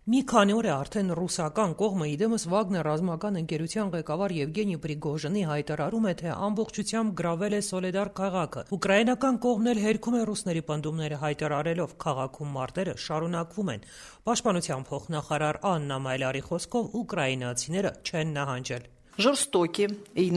Մի քանի օր է արդեն ռուսական կողմը իդեմս Վագներ ռազմական ընկերության ղեկավար Եվգենի Պրիգոժինի հայտարարում է, թե ամբողջությամբ գրավել է Սոլեդար քաղաքը։ Ուկրաինական կողմն էլ հերքում է ռուսների պնդումները հայտարարելով, քաղաքում մարտերը շարունակվում են։ Պաշտպանության փոխնախարար Աննա Մայլարի խոսքով ուկրաինացիները չեն նահանջել։ Ժորստոկի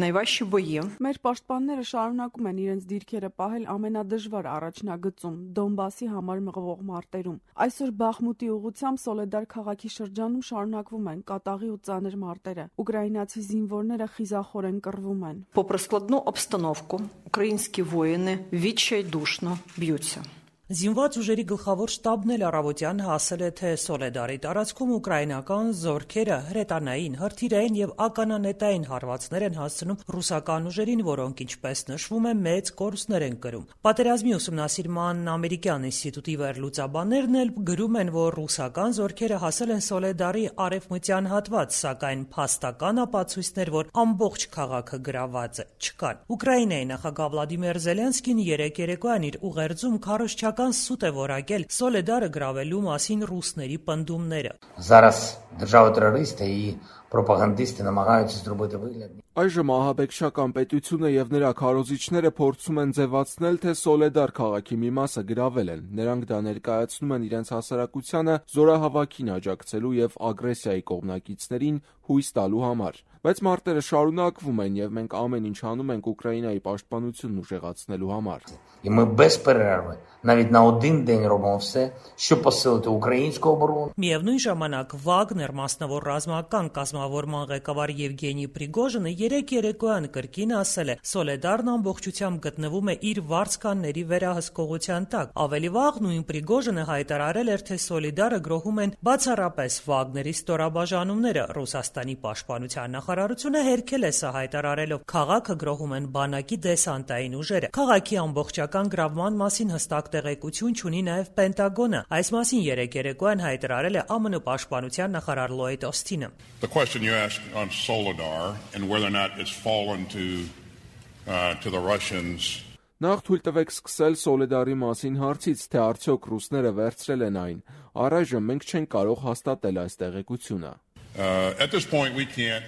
նայվաշի բոյի։ Մեր պաշտպանները շարունակում են իրենց դիրքերը պահել ամենադժվար առաջնագծում՝ Դոնբասի համար մղվող мարտերում։ Այսօր Բախմուտի ուղղությամբ Սոլեդար քաղաքի շրջանում շարունակվում են կատաղի ու ծանր մարտերը։ Ուկրաինացի զինվորները խիզախորեն կռվում են։ Попри складну обстановку, українські воїни відчайдушно б'ються. Զինված ուժերի գլխավոր շտաբն էլ առավոտյան հասել է, թե Սոլեդարի տարածքում ուկրաինական զորքերը հրետանային, հրթիռային եւ ականանետային հարվածներ են հասցնում ռուսական ուժերին, որոնք, ինչպես նշվում է, մեծ կորուստներ են կրում։ Պատերազմի ուսումնասիրման ամերիկյան ինստիտուտի վերլուծաբաններն էլ գրում են, որ ռուսական զորքերը հասել են Սոլեդարի արևմտյան հատված, սակայն փաստական ապացույցներ, որ ամբողջ քաղաքը գրաված է, չկան։ Ուկրաինայի նախագահ Վլադիմիր Զելենսկին երեկ երեկոյան իր ուղերձում քարոզչական սուտ է որակել Սոլեդարը գրավելու մասին ռուսների պնդումները։ Зараз держава-терористи і пропагандисти намагаються зробити вигляд. Այժմ ահաբեկչական պետությունը եւ նրա քարոզիչները փորձում են ձևացնել, թե Սոլեդար քաղաքի մի մասը գրավել են։ Նրանք դա ներկայացնում են իրենց հասարակությանը զորահավաքին աջակցելու եւ ագրեսիայի կողմնակիցներին հույս տալու համար։ Բայց մարտերը շարունակվում են եւ մենք ամեն ինչ անում ենք Ուկրաինայի պաշտպանությունն ուժեղացնելու համար։ І ми без перерви, навіть на один день робимо все, щоб посилити українську оборону. Միևնույն ժամանակ Վագներ մասնավոր ռազմական կազմավորման ղեկավար Եվգենի Պրիգոժինը երեկ երեկոյան կրկին ասել է, Սոլեդարն ամբողջությամբ գտնվում է իր վարձկանների վերահսկողության տակ։ Ավելի վաղ նույն Պրիգոժինը հայտարարել էր, թե Սոլեդարը գրոհում են բացառապես Վագների ստորաբաժանումները։ Ռուսաստանի պաշտպանության նախարարությունը հերքել է սա հայտարարելով, քաղաքը գրոհում են բանակի դեսանտային ուժերը։ Քաղաքի ամբողջական գրավման մասին հստակ տեղեկություն չունի նաև Պենտագոնը։ Այս մասին երեկ երեկոյան հայտարարել է ԱՄՆ պաշտպանության նախարար Լոյդ Օսթինը։ The question you asked on Soledar and whether or not it's fallen to the Russians. Նախ թույլ տվեք սկսել Սոլեդարի մասին հարցից, թե արդյոք ռուսները վերցրել են այն։ Առայժմ մենք չենք կարող հաստատել այս տեղեկությունը։ At this point we can't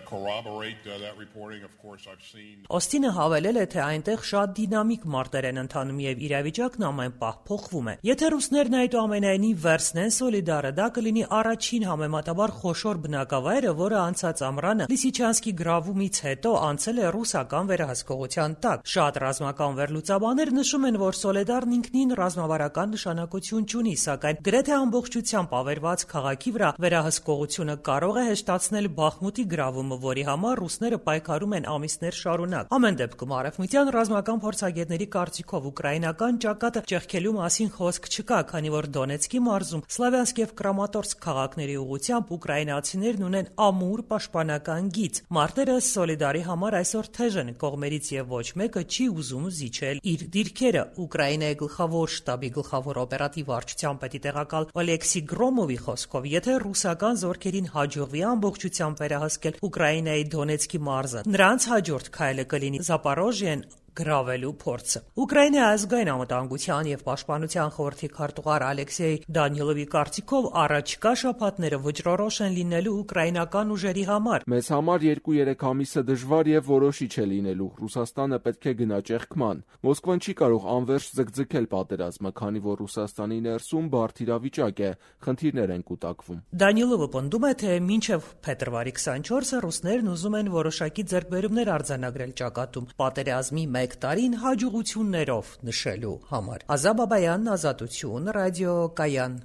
corroborate that reporting. Of course I've seen. Օսթինը հավելել է, թե այնտեղ շատ դինամիկ մարտեր են ընթանում եւ իրավիճակն ամեն պահ փոխվում է։ Եթե ռուսներն այդուամենայնիվ վերցնեն Սոլիդարը, դա կլինի առաջին համեմատաբար խոշոր բնակավայրը, որը անցած ամռանը Լիսիչանսկի գրավումից հետո անցել է ռուսական վերահսկողության տակ։ Շատ ռազմական վերլուծաբաններ նշում են, որ Սոլեդարն ինքնին ռազմավարական նշանակություն չունի, սակայն գրեթե ամբողջությամբ ավերված քաղաքի վրա վերահսկողությունը կարող է հեշտացնել Բախմուտի գրավումը, որի համար ռուսները պայքարում են ամիսներ շարունակ։ Ամեն դեպքում արևմտյան ռազմական փորձագետների կարծիքով ուկրաինական ճակատը ճեղքելու մասին խոսք չկա, քանի որ Դոնեցկի մարզում Սլավյանսկ եւ Կրամատորսկ քաղաքների ուղղությամբ ուկրաինացիներն ունեն ամուր պաշտպանական գիծ։ Մարտերը Սոլիդարի համար այսօր թեժ են, կողմերից եւ ոչ մեկը չի ուզում զիջել իր դիրքերը։ Ուկրաինայի գլխավոր շտաբի գլխավոր օպերատիվ վարչության պետի տեղակալ Օլեքսի Գրոմովի խոսքով, եթե ռուսական զորքերին հաջողվի ամբողջությամբ վերահսկել Ուկրաինայի Դոնեցկի մարզը, նրանց հաջորդ քայլը կլինի Զապորոժիեն գրավելու փորձը։ Ուկրաինայի ազգային անվտանգության եւ պաշտպանության խորհրդի քարտուղար Ալեքսեյ Դանիլովի կարծիքով առաջիկա շաբաթները վճռորոշ են լինելու ուկրաինական ուժերի համար։ Մեզ համար 2-3 ամիսը դժվար եւ որոշիչ է լինելու։ Ռուսաստանը պետք է գնա ճեղքման։ Մոսկվան չի կարող անվերջ ձգձգել պատերազմը, քանի որ Ռուսաստանի ներսում բարդ իրավիճակ է, խնդիրներ են կուտակվում։ Դանիլովը պնդում է, թե մինչև փետրվարի 24-ը ռուսներն ուզում են որոշակի ձեռքբերումներ արձանագրել ճակատում պատերազմի մեկ տարին հաջողություններով նշելու համար։ Ազա Բաբայան, Ազատություն, ռադիո Կայան։